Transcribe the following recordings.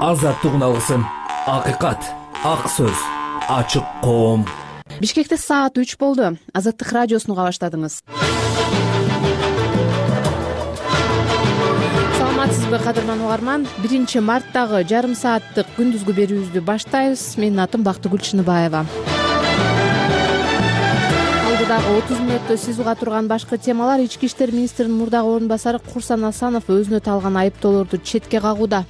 азаттыгын алгысың. Акыйкат, ак сөз, ачык коом. Бишкекте саат 3 болду. Азаттык радиосун уга баштадыңыз. Саламатсызбы, кадырман угарман? 1 марттагы жарым сааттык күндүзгү берүүбүздү баштайбыз. Менин атым Бактыгүл Чыныбаева. Алдыдагы 30 мүнөттө сиз уга турган башкы темалар: Ички иштер министринин мурдагы орун басары Курсан Асанов өзүнө талган айыптоолорду четке кагууда.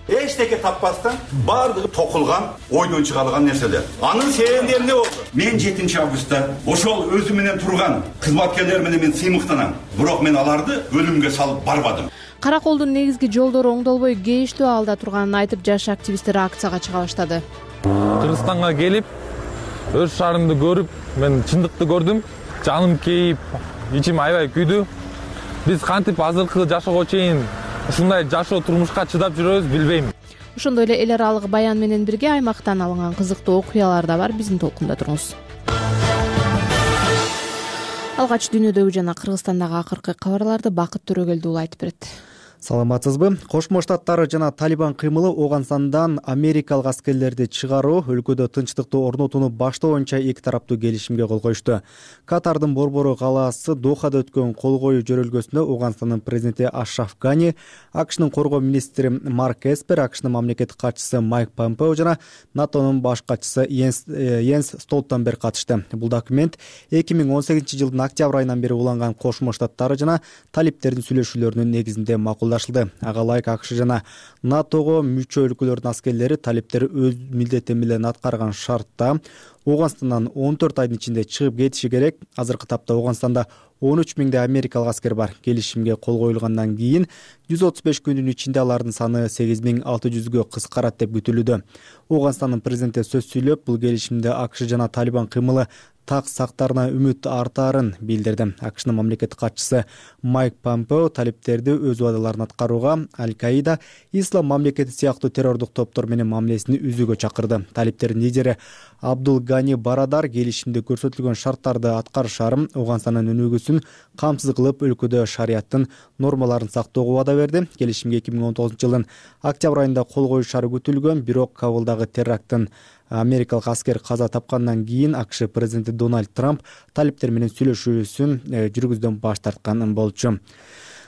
Эчтеке таппастан баардыгы токулган, ойдон чыгарылган нерселер. Анын себеби эмне болду? Мен 7 августта ошол өзү менен турган кызматкерлер менен мен сыймыктанам. Бирок мен аларды өлүмгө салып барбадым. Караколдун негизги жолдору оңдолбой кейиштүү абалда турганын айтып, жаш активисттер акцияга чыга баштады. Кыргызстанга келип, өз шаарымды көрүп, мен чындыкты көрдүм. Жаным кейип, ичим аябай күйдү. Биз кантип азыркы жашоого чейин ушундай жашоо турмушка чыдап жүрөбүз билбейм. Ошондой эле эл аралык баян менен бирге аймактан алынган кызыктуу окуялар да бар. Биздин толкунда туруңуз. Алгач дүйнөдөгү жана Кыргызстандагы акыркы кабарларды Бакыт Төрөгелди уулу айтып берет. Саламатсызбы? Кошмо Штаттар жана Талибан кыймылы Ооганстандан америкалык аскерлерди чыгаруу, өлкөдө тынчтыкты орнотууну баштоо боюнча эки тараптуу келишимге кол коюшту. Катардын борбору калаасы Дохада өткөн кол коюу жөрөлгөсүндө Ооганстандын президенти Ашраф Гани, АКШнын коргоо министри Марк Эспер, АКШнын мамлекеттик катчысы Майк Помпео жана НАТОнун баш катчысы Йенс Столтенберг катышты. Бул документ 2018-жылдын октябрь айынан бери уланган Кошмо Штаттар жана талиптердин сүйлөшүүлөрүнүн негизинде макулдашылды. Ага ылайык АКШ жана НАТОго мүчө өлкөлөрдүн аскерлери талиптери өз милдети менен аткарган шартта Ооганстандан 14 айдын ичинде чыгып кетиши керек. Азыркы тапта Ооганстанда 13 миңдей америкалык аскер бар. Келишимге кол коюлгандан кийин 135 күндүн ичинде алардын саны 8600гө кыскарат деп күтүлүүдө. Ооганстандын президенти сөз сүйлөп, бул келишимде АКШ жана Талибан кыймылы так сактарына үмүт артаарын билдирди. АКШнын мамлекеттик катчысы Майк Помпео талиптерди өз убадаларын аткарууга Аль-Каида, Ислам мамлекети сыяктуу террордук топтор менен мамилесин үзүүгө чакырды. Талиптердин лидери Абдул Гани Барадар келишимде көрсөтүлгөн шарттарды аткарышарын, Ооганстандын өнүгүүсүн камсыз кылып, өлкөдө шариаттын нормаларын сактоого убада берди. Келишимге 2019-жылдын октябрь айында кол коюшары күтүлгөн, бирок Кабулдагы теракттын америкалык аскер каза тапкандан кийин АКШ президенти Дональд Трамп талиптер менен сүйлөшүүсүн жүргүздөн баш тарткан болчу.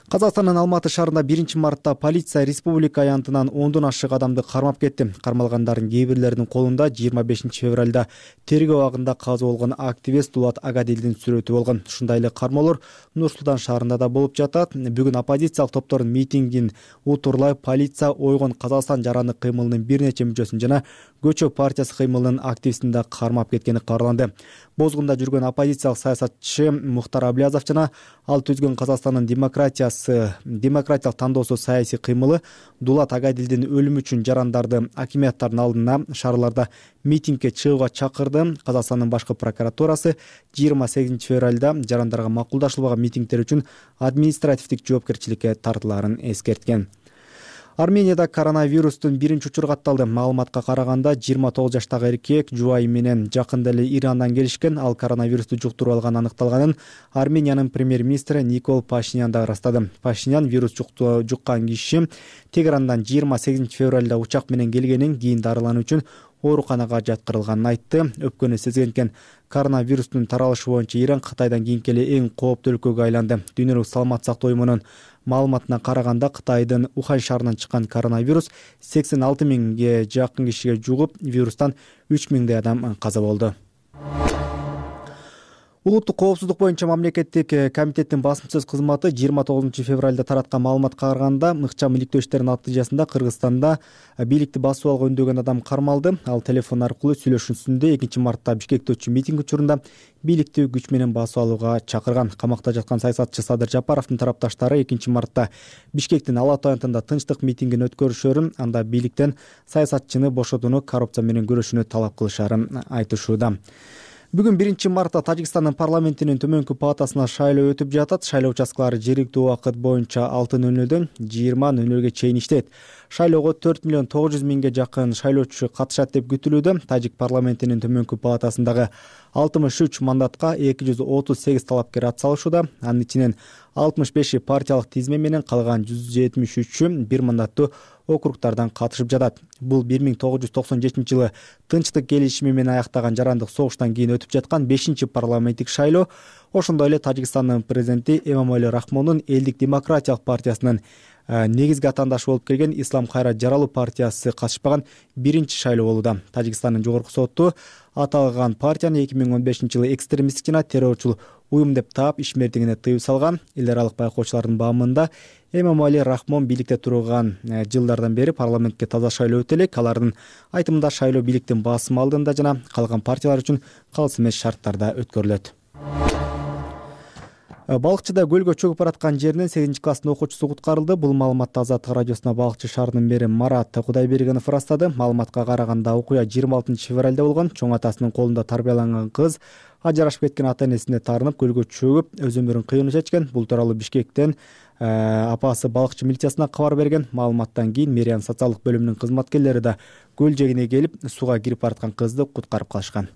Казакстандын Алматы шаарында 1 мартта полиция республика аянтынан 10дон ашык адамды кармап кетти. Кармалгандардын кээ бирлеринин колунда 25 февралда тергөө абагында каза болгон активист Дулат Агадилдин сүрөтү болгон. Ушундай эле кармоолор Нур-Султан шаарында да болуп жатат. Бүгүн оппозициялык топтордун митингин утурлай полиция Ойгон Казакстан жарандык кыймылынын бир нече мүчөсүн жана Көчө партиясы кыймылынын активистин да кармап кеткени кабарланды. Бозгунда жүргөн оппозициялык саясатчы Мухтар Аблязов жана ал түзгөн Казакстандын демократиялык тандоосу саясий кыймылы Дулат Агадилдин өлүмү үчүн жарандарды акимияттардын алдына шаарларда митингге чыгууга чакырды. Казакстандын башкы прокуратурасы 28 февралда жарандарга макулдашылбаган митингдер үчүн административдик жоопкерчиликке тартылаарын эскерткен. Арменияда коронавирустун биринчи учуру катталды. Маалыматка караганда 29 жаштагы эркек жубайы менен жакында эле Ирандан келишкен. Ал коронавирусту жуктуруп алганы аныкталганын Армениянын премьер-министри Никол Пашинян да ырастады. Пашинян вирус жуккан киши Тегерандан 28 февралда учак менен келгенин, кийин дарылануу үчүн ооруканага жаткырылганын айтты. Өпкөнү сезген экен. Коронавирустун таралышы боюнча Иран Кытайдан кийинки эле эң кооптуу өлкөгө айланды. Дүйнөлүк саламат сактоо уюмунун маалыматына караганда Кытайдын Ухань шаарынан чыккан коронавирус 86 миңге жакын кишиге жугуп, вирустан 3 миңдей адам каза болду. Улуттук коопсуздук боюнча мамлекеттик комитеттин басымсыз кызматы 29 февралда тараткан маалыматка караганда, ыкчам иликтөө иштеринин натыйжасында Кыргызстанда бийликти басып алууга үндөгөн адам кармалды. Ал телефон аркылуу сүйлөшүүсүндө 2 мартта Бишкекте өтчү митинг учурунда бийликти күч менен басып алууга чакырган. Камакта жаткан саясатчы Садыр Жапаровдун тарапташтары 2 мартта Бишкектин Ала Ата аянтында тынчтык митингин өткөрүшөрүн, анда бийликтен саясатчыны бошотууну, коррупция менен күрөшүүнү талап кылышарын айтышууда. Бүгүн 1 мартта Тажикстандын парламентинин төмөнкү палатасына шайлоо өтүп жатат. Шайлоо участкалары жергиликтүү убакыт боюнча 6:00дөн 20:00ге чейин иштейт. Шайлоого 4 миллион 900 миңге жакын шайлоочу катышат деп күтүлүүдө. Тажик парламентинин төмөнкү палатасындагы 63 мандатка 238 талапкер ат салышууда. Анын ичинен 65 партиялык тизме менен калган 173 бир мандаттуу округдардан катышып жатат. Бул 1997-жылы тынчтык келишими менен аяктаган жарандык согуштан кийин өтүп жаткан 5-парламенттик шайлоо. Ошондой эле Тажикстандын президенти Эмомали Рахмондун Элдик демократиялык партиясынын негизги атаандашы болуп келген Ислам Кайрат Жаралуу партиясы катышпаган биринчи шайлоо болууда. Тажикстандын жогорку соту аталган партияны 2015-жылы экстремисттик жана террорчул уюм деп таап ишмердигине тыюу салган. Эл аралык байкоочулардын баамында Эмомали Рахмон бийликте турган жылдардан бери парламентке таза шайлоо өтө элек. Алардын айтымында шайлоо бийликтин басым алдында жана калган партиялар үчүн калыс эмес шарттарда өткөрүлөт. Балыкчыда көлгө чөгүп бараткан жеринен 8-класстын окуучусу куткарылды. Бул маалыматты Азаттык радиосуна Балыкчы шаарынын мэри Марат Кудайбергенов ырастады. Маалыматка караганда окуя 26-февралда болгон. Чоң атасынын колунда тарбияланган кыз ажырашып кеткен ата-энесине таарынып көлгө чөгүп өз өмүрүн кыйынуу чечкен. Бул тууралуу Бишкектен апасы балыкчы милициясына кабар берген. Маалыматтан кийин мэрия социалдык бөлүмүнүн кызматкерлери да көл жээгине келип сууга кирип бараткан кызды куткарып калышкан.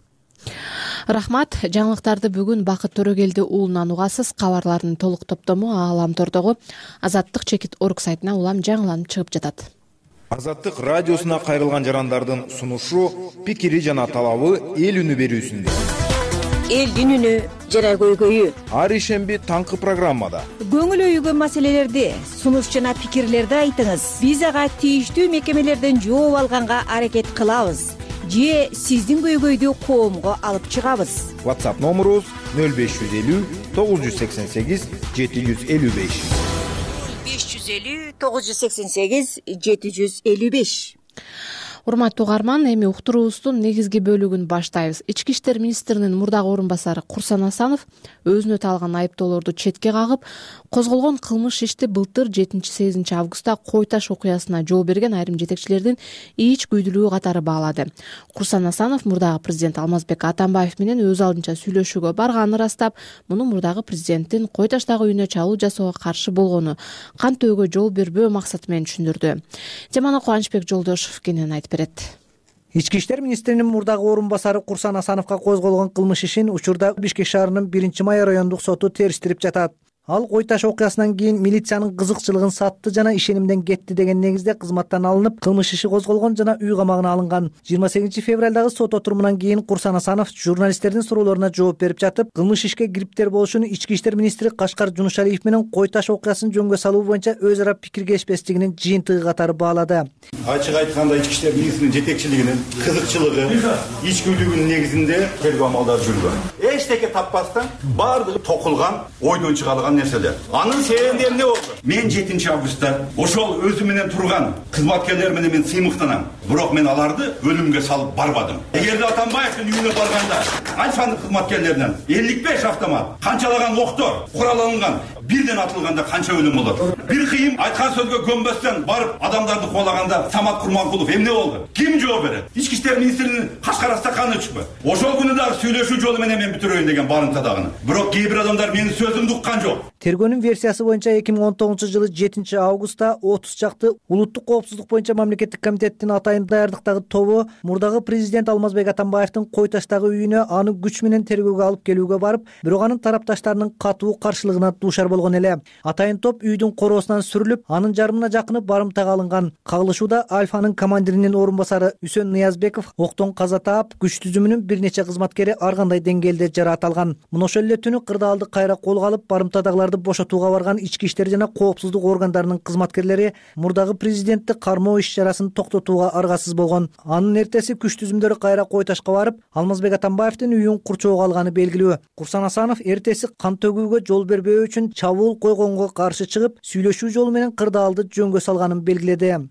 Рахмат. Жаңылыктарды бүгүн Бакыт Төрөгелди уулунан угасыз. Кабарлардын толук топтому Ааламтордогу Азаттык.org сайтына улам жаңыланып чыгып жатат. Азаттык радиосуна кайрылган жарандардын сунушу, пикири жана талабы эл үнү берүүсүндө. Элдин үнү жана көйгөйү. Ар ишемби таңкы программада. Көңүл өйгөн маселелерди, сунуш жана пикирлерди айтыңыз. Биз ага тийиштүү мекемелерден жооп алганга аракет кылабыз. Же сиздин көйгөйдү коомго алып чыгабыз. WhatsApp номерубуз 0550 988 755. 550 988 755. Урматтуу угарман, эми уктуруубуздун негизги бөлүгүн баштайбыз. Ички иштер министринин мурдагы орун басары Курсан Асанов өзүнө таалган айыптоолорду четке кагып, козголгон кылмыш ишти былтыр 7-8 августта Кой Таш окуясына жол берген айрым жетекчилердин ич күйдүлүгү катары баалады. Курсан Асанов мурдагы президент Алмазбек Атамбаев менен өз алдынча сүйлөшүүгө барганын ырастап, муну мурдагы президенттин Кой Таштагы үйүнө чабуул жасоого каршы болгону, кантөөгө жол бербөө максаты менен түшүндүрдү. Жамана Кубанычбек Жолдошов кенен айтып берет. Ички иштер министринин мурдагы орун басары Курсан Асановго козголгон кылмыш ишин учурда Бишкек шаарынын 1-май райондук соту териштирип жатат. Ал Кой Таш окуясынан кийин милициянын кызыкчылыгын сатты жана ишенимден кетти деген негизде кызматтан алынып, кылмыш иши козголгон жана үй камагына алынган. 28-февралдагы сот отурумунан кийин Курсан Асанов журналисттердин суроолоруна жооп берип жатып, кылмыш ишке кириптер болушун ички иштер министри Кашкар Жунушалиев менен Кой Таш окуясын жөнгө салуу боюнча өз ара пикиргешпестигинин жыйынтыгы катары баалады. Ачык айтканда ички иштер министринин жетекчилигинин кызыкчылыгы, ичкилигинин негизинде тергөө амалдары жүргөн. Эчтеке таппастан баардыгы токулган, ойдон чыгарылган нерселер. Анын себеби эмне болду? Мен 7-августта ошол өзү менен турган кызматкерлер менен мен сыймыктанам. Бирок мен аларды өлүмгө салып барбадым. Эгерде Атамбаевдин үйүнө барганда канчанын кызматкерлеринен 55 автомат, канчалаган октор куралланган, бирден атылганда канча өлүм болот? Бир кыйым айткан сөзгө көнбөстөн барып адамдарды куулаганда Самат Курманкулов эмне болду? Ким жооп берет? Ички иштер министринин Кашкар астаканы чыкпы. Ошол күнү дагы сүйлөшүү жолу менен мен бүтүрөйүн деген барымтадагыны. Бирок кээ бир адамдар менин сөзүмдү уккан жок. Тергөөнүн версиясы боюнча 2019-жылы 7-августта 30 чакты улуттук коопсуздук боюнча мамлекеттик комитеттин атайын даярдыктагы тобу мурдагы президент Алмазбек Атамбаевдин Кой Таштагы үйүнө аны күч менен тергөөгө алып келүүгө барып, бирок анын тарапташтарынын катуу каршылыгына дуушар болгон эле. Атайын топ үйдүн короосунан сүрүлүп, анын жарымына жакыны барымтага алынган. Кагылышууда Альфанын командиринин орун басары Үсөн Ниязбеков октон каза таап, күч түзүмүнүн бир нече кызматкери ар кандай деңгээлде жараат алган. Мына ошол эле түнү кырдаалды кайра колго алып, барымтадагыларды бошотууга барган ички иштер жана коопсуздук органдарынын кызматкерлери мурдагы президентти кармоо иш-чарасын токтотууга аргасыз болгон. Анын эртеси күч түзүмдөрү кайра Кой Ташка барып, Алмазбек Атамбаевдин үйүн курчоого алганы белгилүү. Курсан Асанов эртеси кан төгүүгө жол бербөө үчүн чабуул койгонго каршы чыгып, сүйлөшүү жолу менен кырдаалды жөнгө салганын белгиледи.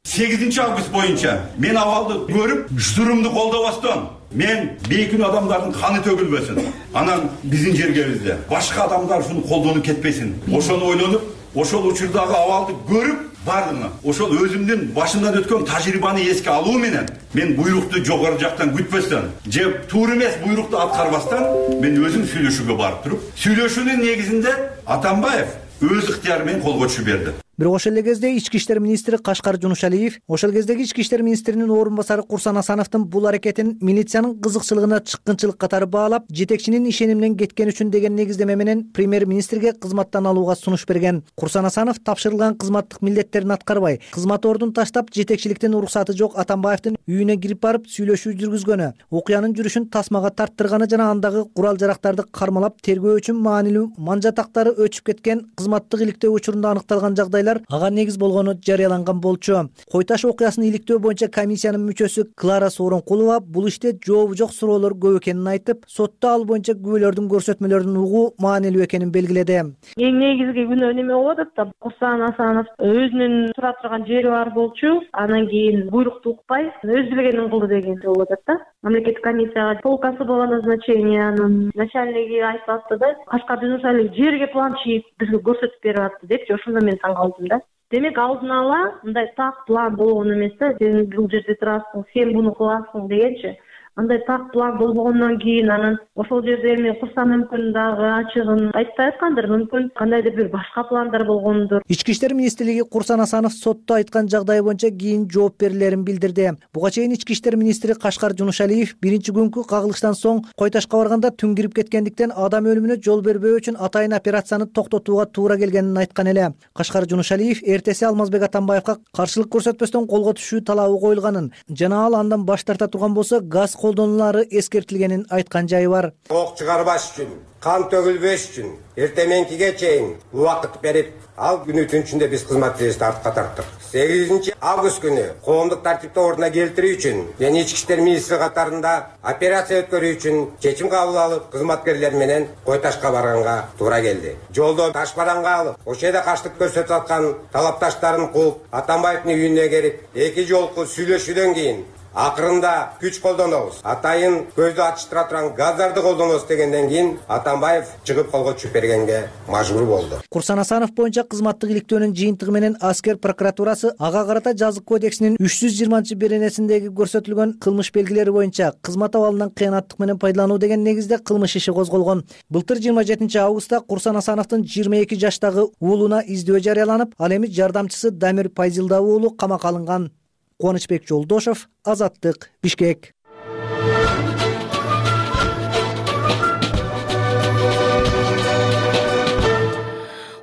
8-август боюнча мен абалды көрүп, жүрүмдү колдобостон мен бейкүнүү адамдардын каны төгүлбөсүн. Анан биздин жергебизде башка адамдар ушуну колдонуп кетпесин. Ошону ойлонуп, ошол учурдагы абалды көрүп, бардым. Ошол өзүмдүн башымдан өткөн тажрыйбаны эске алуу менен мен буйрукту жогору жактан күтпөстөн, же туура эмес буйрукту аткарбастан мен өзүм сүйлөшүүгө барып туруп, сүйлөшүүнүн негизинде Атамбаев өз ыктыяры менен колго түшүп берди. Бирок ошол эле кезде ички иштер министри Кашкар Жунушалиев ошол кездеги ички иштер министринин орун басары Курсан Асановдун бул аракетин милициянын кызыкчылыгына чыккынчылык катары баалап, жетекчинин ишениминен кеткен үчүн деген негиздеме менен премьер-министрге кызматтан алууга сунуш берген. Курсан Асанов тапшырылган кызматтык милдеттерин аткарбай, кызмат ордун таштап, жетекчиликтен уруксаты жок Атамбаевдин үйүнө кирип барып сүйлөшүү жүргүзгөнү, окуянын жүрүшүн тасмага тарттырганы жана андагы курал-жарактарды кармалап тергөө үчүн маанилүү манжатактары өчүп кеткен кызматтык иликтөө учурунда аныкталган жагдайлар ага негиз болгону жарыяланган болчу. Кой Таш окуясын иликтөө боюнча комиссиянын мүчөсү Клара Сооронкулова бул иште жообу жок суроолор көп экенин айтып, сотто ал боюнча күбөлөрдүн көрсөтмөлөрүн угуу маанилүү экенин белгиледи. Эң негизги күнөө неме болуп атат да, Курсан Асанов өзүнүн тура турган жери бар болчу, анан кийин буйрукту укпай өз билгенин кылды деген болуп атат да. Мамлекеттик комиссияга полкасы по назначениянын начальниги айтып атты да, Кашкар Жунушалиев жерге план чийип бизге көрсөтүп берип атты депчи, ошондо мен таң калдым да. Демек алдын ала мындай так план болгон эмес да, сен бул жерде турасың, сен буну кыласың дегенчи. Андай так план болбогондон кийин анан ошол жерде эми Курсан мүмкүн дагы ачыгын айтпай аткандыр, мүмкүн кандайдыр бир башка пландар болгондур. Ички иштер министрлиги Курсан Асанов сотто айткан жагдай боюнча кийин жооп берилерин билдирди. Буга чейин ички иштер министри Кашкар Жунушалиев биринчи күнкү кагылыштан соң Кой Ташка барганда түн кирип кеткендиктен адам өлүмүнө жол бербөө үчүн атайын операцияны токтотууга туура келгенин айткан эле. Кашкар Жунушалиев эртеси Алмазбек Атамбаевга каршылык көрсөтпөстөн колго түшүү талабы коюлганын жана ал андан баш тарта турган болсо газ колдонулары эскертилгенин айткан жайы бар. Ок чыгарбаш үчүн, кан төгүлбөш үчүн эртең мененкиге чейин убакыт берип, ал күнү түн ичинде биз кызматчыбызды артка тарттык. 8 август күнү коомдук тартипти ордуна келтирүү үчүн жана ички иштер министри катарында операция өткөрүү үчүн чечим кабыл алып, кызматкерлер менен Кой Ташка барганга туура келди. Жолдо таш бараңга алып, ошол жерде каштык көрсөтүп аткан талапташтарын кууп, Атамбаевдин үйүнө келип, 2 жолку сүйлөшүүдөн кийин акырында күч колдонобуз, атайын көздү ачыштыра турган газдарды колдонобуз дегенден кийин Атамбаев чыгып колго түшүп бергенге мажбур болду. Курсан Асанов боюнча кызматтык иликтөөнүн жыйынтыгы менен аскер прокуратурасы ага карата Жазык кодексинин 320-беренесиндеги көрсөтүлгөн кылмыш белгилери боюнча кызмат абалынан кыянаттык менен пайдалануу деген негизде кылмыш иши козголгон. Былтыр 27 августта Курсан Асановдун 22 жаштагы уулуна издөө жарыяланып, ал эми жардамчысы Дамир Пайзилда уулу камакка алынган. Кубанычбек Жолдошов, Азаттык, Бишкек.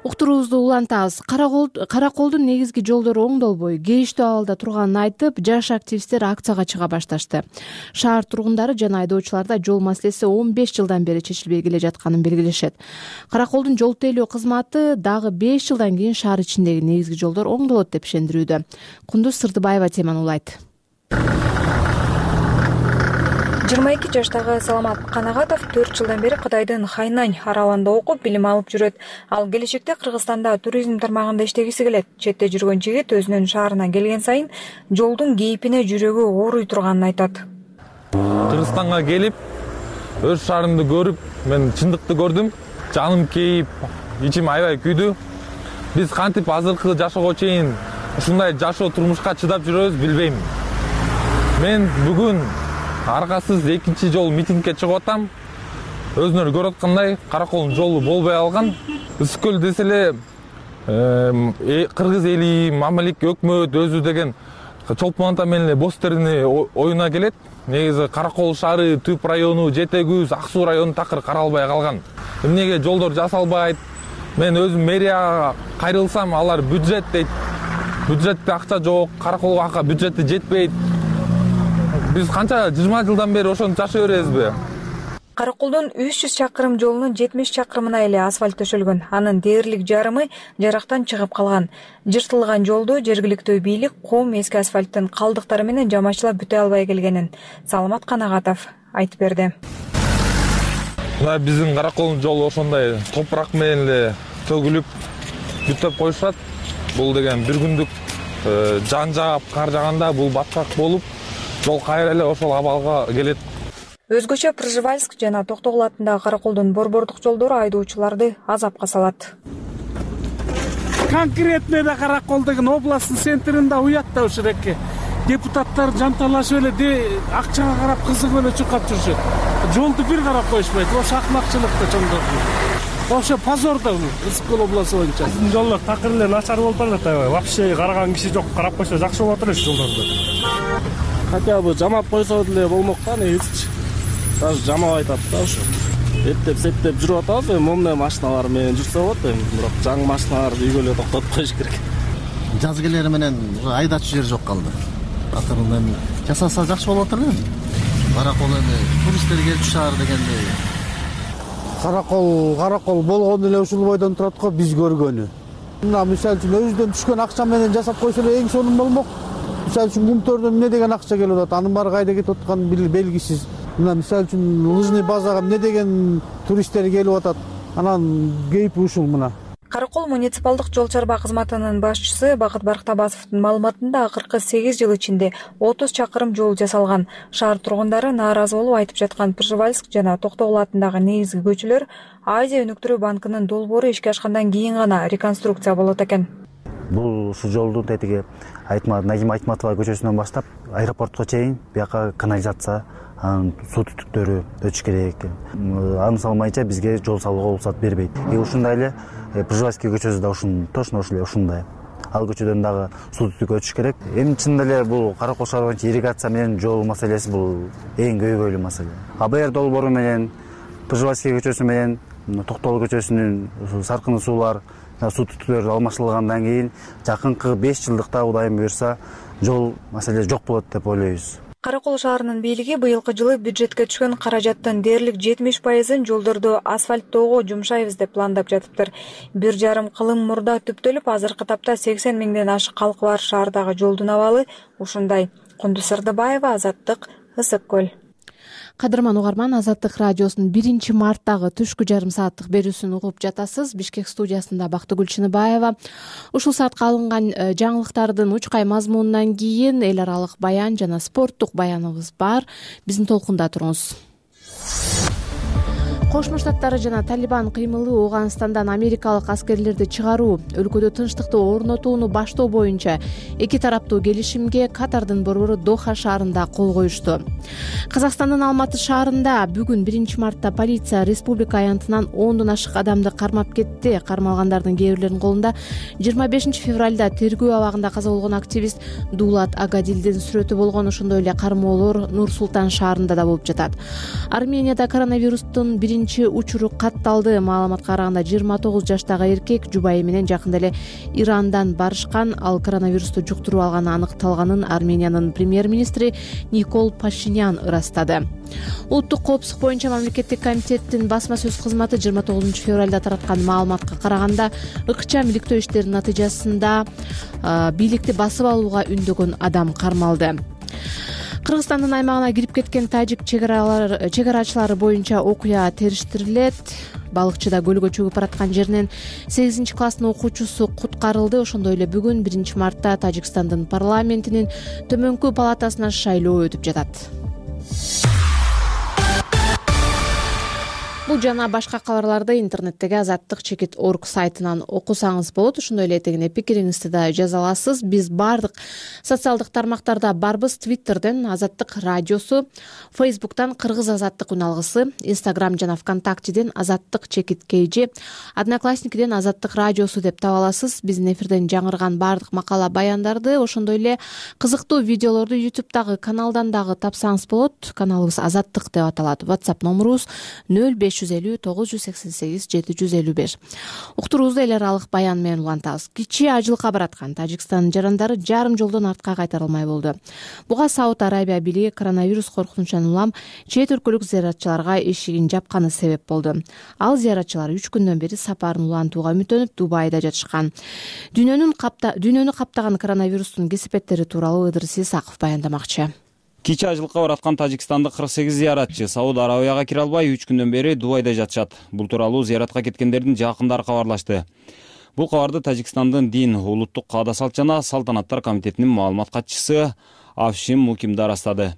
Уктуруубузду улантабыз. Караколдун негизги жолдору оңдолбой, кейиштүү абалда турганын айтып, жаш активисттер акцияга чыга башташты. Шаар тургундары жана айдоочуларда жол маселеси 15 жылдан бери чечилбей келе жатканын белгилешет. Караколдун жол тейлөө кызматы дагы 5 жылдан кийин шаар ичиндеги негизги жолдор оңдолот деп ишендирүүдө. Кундуз Сырдыбаева теманы улайт. 22 жаштагы Саламат Канагатов 4 жылдан бери Кытайдын Хайнань аралында окуп, билим алып жүрөт. Ал келечекте Кыргызстанда туризм тармагында иштегиси келет. Четте жүргөн жигит өзүнүн шаарына келген сайын жолдун кейпине жүрөгү ооруй турганын айтат. Кыргызстанга келип, өз шаарымды көрүп, мен чындыкты көрдүм. Жаным кейип, ичим аябай күйдү. Биз кантип азыркы жашоого чейин ушундай жашоо турмушка чыдап жүрөбүз билбейм. Мен бүгүн аргасыз экинчи жол митингге чыгып атам. Өзүнөр көрүп аткандай, Караколдун жолу болбой алган. Үскөл десе эле кыргыз эли, мамилик өкмөт өзү деген чолпон ата менен эле бостерини оюна келет. Негизи Каракол шаары, Түп району, Жети Күз, Ак Суу району такыр каралбай калган. Эмнеге жолдор жасалбайт? Мен өзүм мэрияга кайрылсам, алар бюджет дейт. Бюджетте акча жок, Караколго бюджети жетпейт. Биз канча 20 жылдан бери ошону жашай беребизби? Караколдун 300 чакырым жолунун 70 чакырымына эле асфальт төшөлгөн. Анын дээрлик жарымы жарактан чыгып калган. Жыртылган жолду жергиликтүү бийлик кум эски асфальттын калдыктары менен жамачылап бүтө албай келгенин Саламат Канагатов айтып берди. Мына биздин Караколдун жолу ошондой топурак менен эле төгүлүп бүтөп коюшат. Бул деген бир күндүк жан жаап, кар жаганда бул баткак болуп, жол кайра эле ошол абалга келет. Өзгөчө Пржевальск жана Токтогул атындагы Караколдун борбордук жолдору айдоочуларды азапка салат. Конкретно да Каракол деген областтын центринде уят да ушуреке. Депутаттар жанталашып эле акчага карап кызыгып эле чуркап жүрүшөт. Жолду бир карап коюшпайт. Ошо акмакчылык да чоңдорду. вообще позор да бул Ысык көл областы боюнча. Биздин жолдор такыр эле начар болуп барат аябай. Вообще караган киши жок, карап койсо жакшы болуп атат жолдорду. Хотя бы жамап койсо деле болмок да негизичи. Даже жамап айтат да ошо. Эптеп септеп жүрүп атабыз, момне машиналар менен жүрсө болот, бирок жаңы машиналарды үйгө эле токтотуп коюш керек. Жаз келери менен айдачу жер жок калды. Атырында эми жасаса жакшы болот эле. Каракол эми туристтер келчү шаар дегендей. Каракол болгону эле ушул бойдон турат го биз көргөнү. Мына мисалы үчүн өзүдөн түшкөн акча менен жасап койсо эле эң сонун болмок. Мисалы үчүн бунтөрдөн эмне деген акча келип атат, анын баары кайда кетип атканы белгисиз. Мына мисалы үчүн лыжный базага эмне деген туристтер келип атат, анан кейпи ушул мына. Каракол муниципалдык жол чарба кызматынын башчысы Бакыт Барктабасовдун маалыматында акыркы 8 жыл ичинде 30 чакырым жол жасалган. Шаар тургундары нааразы болуп айтып жаткан Пржевальск жана Токтогул атындагы негизги көчөлөр Азия өнүктүрүү банкынын долбоору ишке ашкандан кийин гана реконструкция болот экен. Бул ушул жолдун тетиги Нагим Айтматова көчөсүнөн баштап аэропортко чейин бияка канализация, суу түтүктөрү өтүш керек. Аны салмайча бизге жол салууга уруксат бербейт. Ушундай эле Пржевальский көчөсү да точно ушундай. Ал көчөдөн дагы суу түтүк өтүш керек. Эми чынында эле бул Каракол шаар боюнча ирригация менен жол маселеси бул эң көйгөйлүү маселе. АБР долбоору менен Пржевальский көчөсү менен Токтогул көчөсүнүн саркыны суулар, суу түтүктөр алмаштырылгандан кийин жакынкы 5 жылдыкта Кудайым буйрса жол маселеси жок болот деп ойлойбуз. Каракол шаарынын бийлиги быйылкы жылы бюджетке түшкөн каражаттын дээрлик 70%-ын жолдорду асфальттоого жумшайбыз деп пландап жатыптыр. 1,5 кылым мурда түптөлүп, азыркы тапта 80 миңден ашык калкы бар шаардагы жолдун абалы ушундай. Кундуз Сырдыбаева, Азаттык, Ысык көл. Кадырман угарман, Азаттык радиосунун 1 марттагы түшкү жарым сааттык берүүсүн угуп жатасыз. Бишкек студиясында Бактыгүл Чыныбаева. Ушул саатка алынган жаңылыктардын учкай мазмунунан кийин эл аралык баян жана спорттук баяныбыз бар. Биздин толкунда туруңуз. Кошмо Штаттары жана Талибан кыймылы Ооганстандан америкалык аскерлерди чыгаруу, өлкөдө тынчтыкты орнотууну баштоо боюнча эки тараптуу келишимге Катардын борбору Доха шаарында кол коюшту. Казакстандын Алматы шаарында бүгүн 1 мартта полиция республика аянтынан 10дон ашык адамды кармап кетти. Кармалгандардын кээ бирлеринин колунда 25 февралда тергөө абагында каза болгон активист Дулат Агадилдин сүрөтү болгон. Ошондой эле кармоолор Нур Султан шаарында да болуп жатат. Арменияда коронавирустун учуру катталды. Маалыматка караганда 29 жаштагы эркек жубайы менен жакында эле Ирандан барышкан. Ал коронавирусту жуктуруп алганы аныкталганын Армениянын премьер-министри Никол Пашинян ырастады. Улуттук коопсуздук боюнча мамлекеттик комитеттин басма сөз кызматы 29 февралда тараткан маалыматка караганда ыкчам иликтөө иштеринин натыйжасында бийликти басып алууга үндөгөн адам кармалды. Кыргызстандын аймагына кирип кеткен тажик чегарачылары боюнча окуя териштирилет. Балыкчыда көлгө чөгүп бараткан жеринен 8 класстын окуучусу куткарылды. Ошондой эле бүгүн 1 мартта Тажикстандын парламентинин төмөнкү палатасына шайлоо өтүп жатат. Бул жана башка кабарларды интернеттеги azattik.org сайтынан окусаңыз болот. Ошондой эле этегине пикириңизди да жаза аласыз. Биз бардык социалдык тармактарда барбыз. Twitterден Азаттык радиосу, Facebook'тан Кыргыз Азаттык үналгысы, Instagram жана ВКонтактеден azattik_kg, Одноклассникиден Азаттык радиосу деп таба аласыз. Биздин эфирден жаңырган бардык макала баяндарды, ошондой эле кызыктуу видеолорду YouTube'дагы каналдан дагы тапсаңыз болот. Каналыбыз Азаттык деп аталат. WhatsApp номурубуз 0550 988 755. Уктуруубузду эл аралык баян менен улантабыз. Кичи ажылыкка бараткан Тажикстандын жарандары жарым жолдон артка кайтарылмай болду. Буга Сауд Арабия бийлиги коронавирус коркунучунан улам чет өлкөлүк зыяратчыларга эшигин жапканы себеп болду. Ал зыяратчылар 3 күндөн бери сапарын улантууга үмүттөнүп Дубайда жатышкан. Дүйнөнү каптаган коронавирустун кесепеттери тууралуу Ыдырыс Исаков баяндамакчы. Кичи ажылыкка бараткан Тажикстандык 48 зыяратчы Сауд Арабияга кире албай 3 күндөн бери Дубайда жатышат. Бул тууралуу зыяратка кеткендердин жакындары кабарлашты. Бул кабарды Тажикстандын дин, улуттук каада салт жана салтанаттар комитетинин маалымат катчысы Афшим Мукимда растады.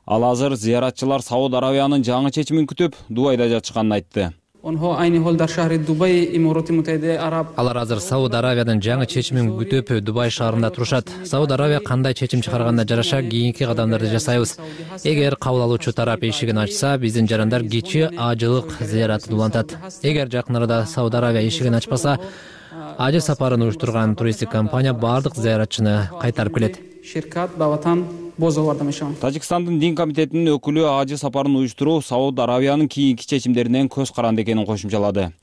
Ал азыр зыяратчылар Сауд Арабиянын жаңы чечимин күтүп Дубайда жатышканын айтты. Алар азыр Сауд Аравиянын жаңы чечимин күтүп Дубай шаарында турушат. Сауд Аравия кандай чечим чыгарганына жараша кийинки кадамдарды жасайбыз. Эгер кабыл алуучу тарап эшигин ачса, биздин жарандар кичи ажылык зыяратын улантат. Эгер жакын арада Сауд Аравия эшигин ачпаса, ажы сапарын уюштурган туристтик компания бардык зыяратчыны кайтарып келет. Тажикстандын дин комитетинин өкүлү ажы сапарын уюштуруу Сауд Аравиянын кийинки чечимдеринен көз каранды экенин кошумчалады.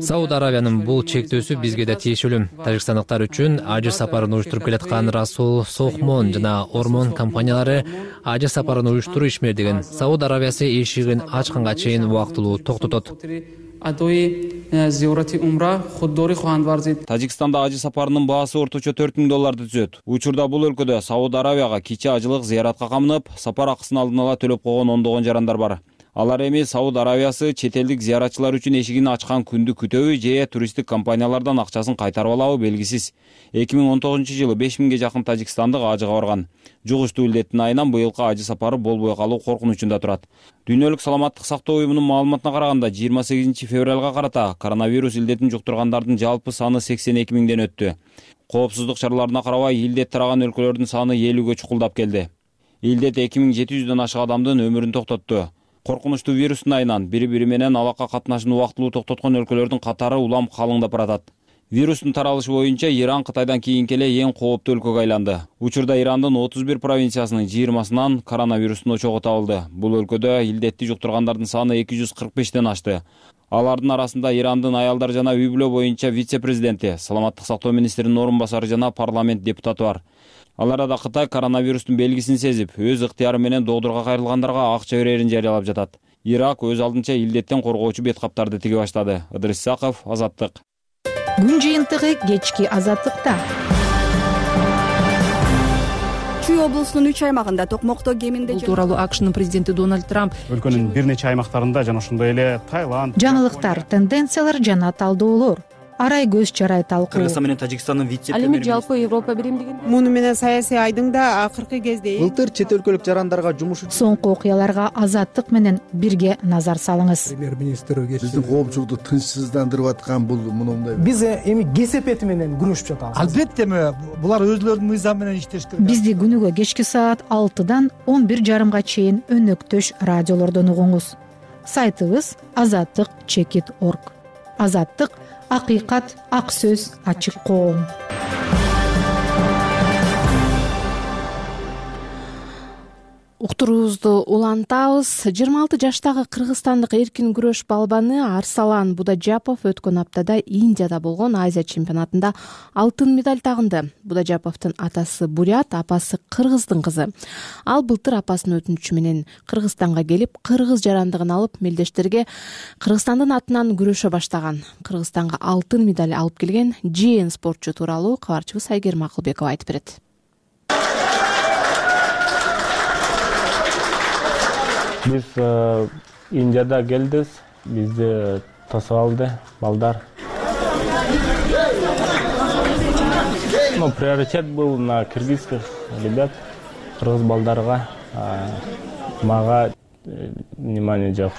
Сауд Аравиянын бул чектөөсү бизге да тиешелүү. Тажикстандыктар үчүн ажы сапарын уюштуруп келаткан Расул Сохмон жана Ормон компаниялары ажы сапарын уюштуруу ишмердигин Сауд Аравиясы эшигин ачканга чейин убактылуу токтотот. Тажикстанда ажы сапарынын баасы орточо $4000 түзөт. Учурда бул өлкөдө Сауд Аравияга кичи ажылык зыяратка камынып, сапар акысын алдын ала төлөп койгон ондогон жарандар бар. Алар эми Сауд Аравиясы чет элдик зыяратчылар үчүн эшигин ачкан күндү күтөбү же туристтик компаниялардан акчасын кайтарып алабы белгисиз. 2019-жылы 5000ге жакын тажикстандык ажыга барган. Жугуштуу илдеттин айынан быйылкы ажы сапары болбой калуу коркунучунда турат. Дүйнөлүк саламаттык сактоо уюмунун маалыматына караганда 28 февралга карата коронавирус илдетин жуктургандардын жалпы саны 82 миңден өттү. Коопсуздук чараларына карабай илдет тараган өлкөлөрдүн саны 50ге чукулдап келди. Илдет 2700дөн ашык адамдын өмүрүн токтотту. Коркунучтуу вирустун айынан бири-бири менен алака катнашын убактылуу токтоткон өлкөлөрдүн катары улам калыңдап баратат. Вирустун таралышы боюнча Иран Кытайдан кийинки эле эң кооптуу өлкөгө айланды. Учурда Ирандын 31 провинциясынын 20-сынан коронавирустун очогу табылды. Бул өлкөдө илдетти жуктургандардын саны 245ден ашты. Алардын арасында Ирандын аялдар жана үй-бүлө боюнча вице-президенти, саламаттык сактоо министринин орун басары жана парламент депутаты бар. Ал арада Кытай коронавирустун белгисин сезип, өз ыктыяры менен доодурга кайрылгандарга акча берерин жарыялап жатат. Ирак өз алдынча илдеттен коргоочу бет каптарды тиге баштады. Ыдырыс Исаков, Азаттык. Күн жыйынтыгы кечки Азаттыкта. Чүй облусунун 3 аймагында токмокто кеминде. Бул тууралуу АКШнын президенти Дональд Трамп өлкөнүн бир нече аймактарында жана ошондой эле Таиланд. Жаңылыктар, тенденциялар жана талдоолор. Арай көз чарай талкуу. Кыргызстан менен Тажикстандын вице-премьери. Ал эми жалпы Европа биримдигин. Муну менен саясий айдың да акыркы кезде былтыр чет өлкөлүк жарандарга жумуш соңку окуяларга Азаттык менен бирге назар салыңыз. Премьер-министр биздин коопчулукту тынчсыздандырып аткан бул мындай. Биз эми кесепети менен күрөшүп жатабыз. Албетте булар өзлөрүнүн мыйзамы менен иштеш керек. Бизди күнүгө кечки саат 6-дан 11:30 чейин өнөктөш радиолордон угуңуз. Сайтыбыз azattik.org. Азаттык акыйкат, ак сөз, ачык коом. Уктуруубузду улантабыз. 26 жаштагы кыргызстандык эркин күрөш балбаны Арсалан Будажапов өткөн аптада Индияда болгон Азия чемпионатында алтын медаль тагынды. Будажаповдун атасы бурят, апасы кыргыздын кызы. Ал былтыр апасынын өтүнүчү менен Кыргызстанга келип, кыргыз жарандыгын алып, мелдештерге Кыргызстандын атынан күрөшө баштаган. Кыргызстанга алтын медаль алып келген жээн спортчу тууралуу кабарчыбыз Айгерим Акылбекова айтып берет. Биз Индияда келдиз, бизди тосуп алды балдар. Приоритет был на кыргызских ребят, кыргыз балдарга, мага внимание жок.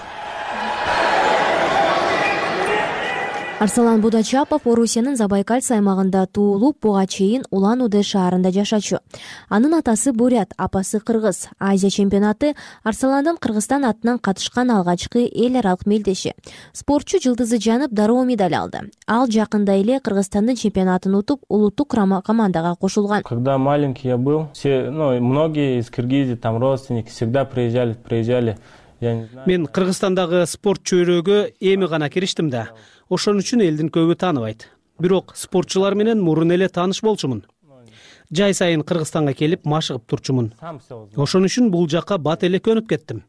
Арсалан Будачапов Орусиянын Забайкальц аймагында туулуп, буга чейин Улан-Удэ шаарында жашачу. Анын атасы бурят, апасы кыргыз. Азия чемпионаты Арсаландын Кыргызстан атынан катышкан алгачкы эл аралык мелдеши. Спортчу Жылдызы Жанып дароо медаль алды. Ал жакында эле Кыргызстандын чемпионатын утуп, улуттук командага кошулган. Когда маленький я был, многие из Кыргызии, там родственники всегда приезжали. Мен Кыргызстандагы спорт чөйрөгө эми гана кириштим да. Ошон үчүн элдин көбү тааныбайт. Бирок спортчулар менен мурун эле тааныш болчумун. Жай сайын Кыргызстанга келип машыгып турчумун. Ошон үчүн бул жакка бат эле көнүп кеттим.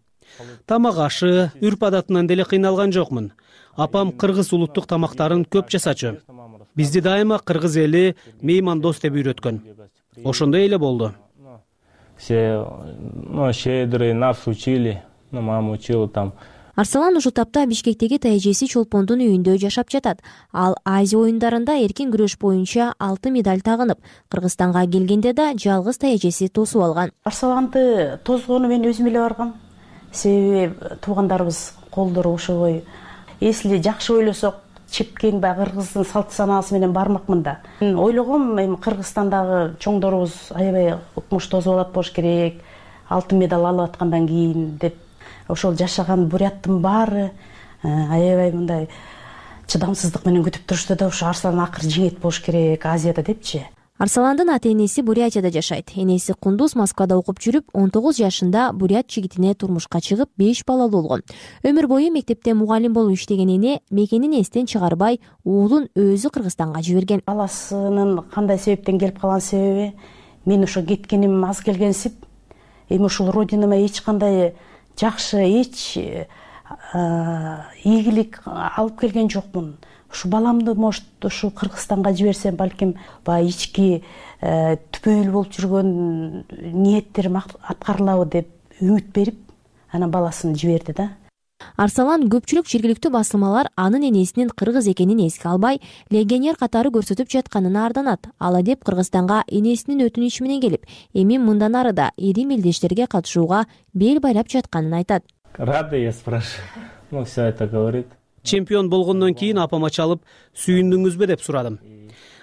Тамак ашы, үрп адатынан деле кыйналган жокмун. Апам кыргыз улуттук тамактарын көп жасачу. Бизди дайыма кыргыз эли меймандос деп үйрөткөн. Ошондой эле болду. Все, щедрые, нас учили, мама учила там. Арсалан ушул тапта Бишкектеги тайэжеси Чолпондун үйүндө жашап жатат. Ал Азия оюндарында эркин күрөш боюнча алтын медаль тагынып, Кыргызстанга келгенде да жалгыз тайэжеси тосуп алган. Арсаланды тосгону мен өзүм эле баргам. себеби туугандарыбыз колдору ошобой. Если жакшы ойлосок, чепкен баягы кыргыздын салт санаасы менен бармакмын да. Мен ойлогом, эми Кыргызстандагы чоңдорубуз аябай укмуш тосуп алат болуш керек, алтын медаль алып аткандан кийин деп. Ошол жашаган буряттын баары аябай мындай чыдамсыздык менен күтүп турушты да, ошо Арслан акыры жеңет болуш керек Азияда депчи. Арсаландын ата-энеси Бурятияда жашайт. Энеси Кундуз Москвада окуп жүрүп, 19 жашында бурят жигитине турмушка чыгып, 5 балалуу болгон. Өмүр бою мектепте мугалим болуп иштеген эне мекенин эстен чыгарбай, уулун өзү Кыргызстанга жиберген. Баласынын кандай себептен келип калган себеби, мен ошо кеткеним аз келгенсип, эми ушул родинама эч кандай жакшы, эч ийгилик алып келген жокмун. Ушу баламды может ушу Кыргызстанга жиберсем, балким баягы ички түпөйүл болуп жүргөн ниеттерим аткарылабы деп үмүт берип, анан баласын жиберди да. Арсалан көпчүлүк жергиликтүү басылмалар анын энесинин кыргыз экенин эске албай, легионер катары көрсөтүп жатканына арданат. Ала деп Кыргызстанга энесинин өтүнүчү менен келип, эми мындан ары да ири мелдештерге катышууга бел байлап жатканын айтат. Рада, я спрашиваю. Ну, все это говорит. Чемпион болгондон кийин апама чалып, сүйүндүңүзбү деп сурадым.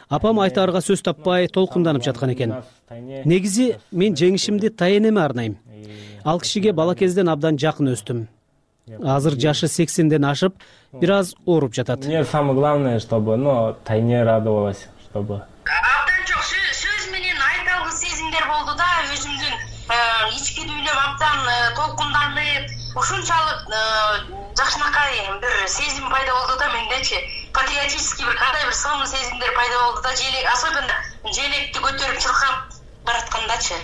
Апам айтаарга сөз таппай толкунданып жаткан экен. Негизи мен жеңишимди тайенеме арнайм. Ал кишиге бала кезден абдан жакын өстүм. Азыр жашы 80ден ашып, бир аз ооруп жатат. Мне самое главное, чтобы, тайне радовалась, чтобы. Абдан жок сөз менен айта алгыс сезимдер болду да, өзүмдүн ички дүйнөм абдан толкунданып, ушунчалык жакшынакай бир сезим пайда болду да мендечи. Патриотический кандай бир сонун сезимдер пайда болду да, особенно желекти көтөрүп чыркап бараткандачы.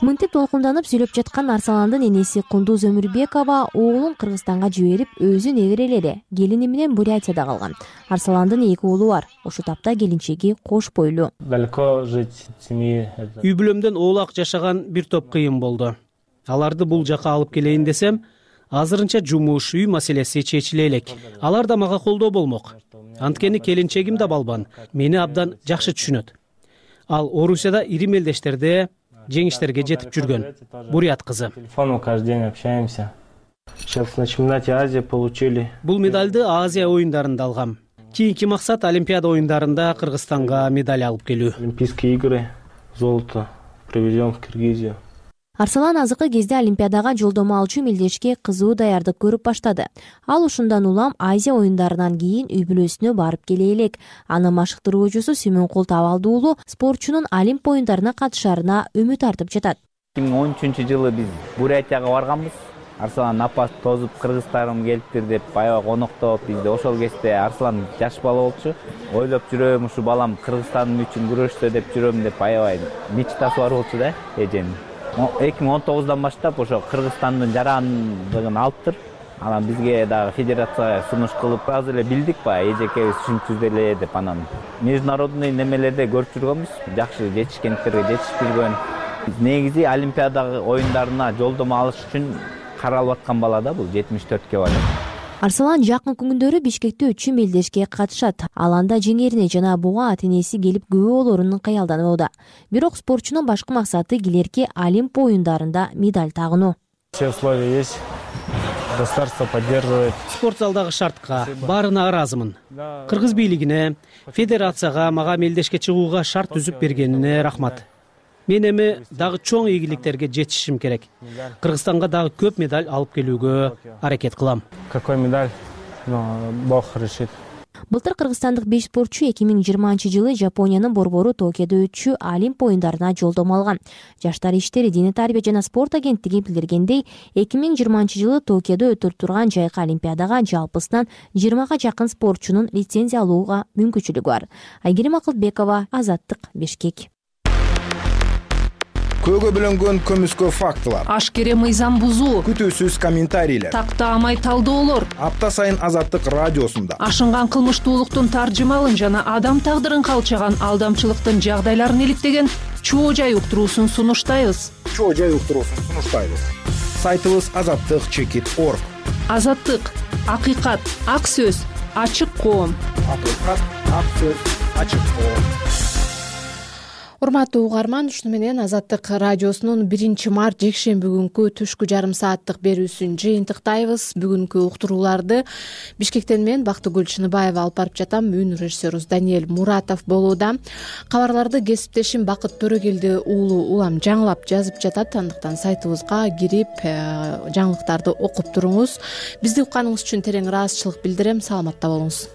Мынтип толкунданып сүйлөп жаткан Арсаландын энеси Кундуз Өмүрбекова уулун Кыргызстанга жиберип, өзү неберелери келини менен Бурятияда калган. Арсаландын 2 уулу бар. Ошол тапта келинчеги кош бойлуу. Далеко жить семьи. Үй бүлөмдөн оолак жашаган бир топ кыйын болду. Аларды бул жака алып келейин десем, азырынча жумуш, үй маселеси чечиле элек. Алар да мага колдоо болмок. Анткени келинчегим да балбан, мени абдан жакшы түшүнөт. Ал Орусияда ири мелдештерде жеңиштерге жетип жүргөн. Бурят кызы. Телефоном каждый день общаемся. Сейчас на чемпионате Азии получили. Бул медальды Азия оюндарында алгам. Кийинки максат Олимпиада оюндарында Кыргызстанга медаль алып келүү. Олимпийские игры, золото привезем в Киргизию. Арсалан азыркы кезде Олимпиадага жолдомо алчу мелдешке кызуу даярдык көрүп баштады. Ал ушундан улам Азия оюндарынан кийин үй бүлөсүнө барып келе элек. Анын машыктыруучусу Сүймөнкул Табалды уулу спортчунун Олимп оюндарына катышаарына үмүт артып жатат. 2013-жылы биз Бурятияга барганбыз. Арсалан апасы тозуп кыргыздарым келиптир деп аябай коноктоп, бизде ошол кезде Арсалан жаш бала болчу. Ойлоп жүрөм, ушу балам Кыргызстан үчүн күрөштө деп жүрөм деп аябай мечтасы бар болчу да эженин. 2019-дан баштап ошо Кыргызстандын жарандыгын алыптыр. Анан бизге дагы федерацияга сунуш кылып, азыр эле билдик эжекебиз ушинтип эле деп анан международный немелерде көрүп жүргөнбүз. Жакшы жетишкендиктерге жетишип жүргөн. Негизи Олимпиада оюндарына жолдомо алыш үчүн каралып аткан бала да бул 74-кө барат. Арсалан жакын күндөрү Бишкекте 3 мелдешке катышат. Ал анда жеңерине жана буга ата-энеси келип күбө болорун каялданууда. Бирок спортчунун башкы максаты келерки Олимп оюндарында медаль тагынуу. Все условия есть. Государство поддерживает. Спорт залдагы шартка баарына ыраазымын. Кыргыз бийлигине, федерацияга мага мелдешке чыгууга шарт түзүп бергенине рахмат. Мен эми дагы чоң ийгиликтерге жетишим керек. Кыргызстанга дагы көп медаль алып келүүгө аракет кылам. Какой медаль? Бог решит. Былтыр кыргызстандык 5 спортчу 2020-жылы Жапониянын борбору Токиодо өтчү Олимп оюндарына жолдомо алган. Жаштар иштери, дене тарбия жана спорт агенттиги билдиргендей, 2020-жылы Токиодо өтүлүп турган жайкы Олимпиадага жалпысынан 20га жакын спортчунун лицензия алууга мүмкүнчүлүгү бар. Айгерим Акылбекова, Азаттык, Бишкек. Көөгө бөлөнгөн көмүскө фактылар, ашкере мыйзам бузуу, күтүүсүз комментарийлер, тактаамай талдоолор апта сайын Азаттык радиосунда ашынган кылмыштуулуктун таржымалын жана адам тагдырын калчаган алдамчылыктын жагдайларын иликтеген чоо жай уктуруусун сунуштайбыз. Сайтыбыз azattik.org. Азаттык, акыйкат, ак сөз, ачык коом. Акыйкат, ак сөз, ачык коом. урматтуу угарман, ушуну менен Азаттык радиосунун 1-март жекшемби күнкү түшкү жарым сааттык берүүсүн жыйынтыктайбыз. Бүгүнкү уктурууларды Бишкектен мен Бактыгүл Чыныбаева алып барып жатам. Үн режиссерубуз Даниэль Муратов болууда. Кабарларды кесиптешим Бакыт Төрөгелди уулу улам жаңылап жазып жатат. Андыктан сайтыбызга кирип жаңылыктарды окуп туруңуз. Бизди укканыңыз үчүн терең ыраазычылык билдирем. Саламатта болуңуз.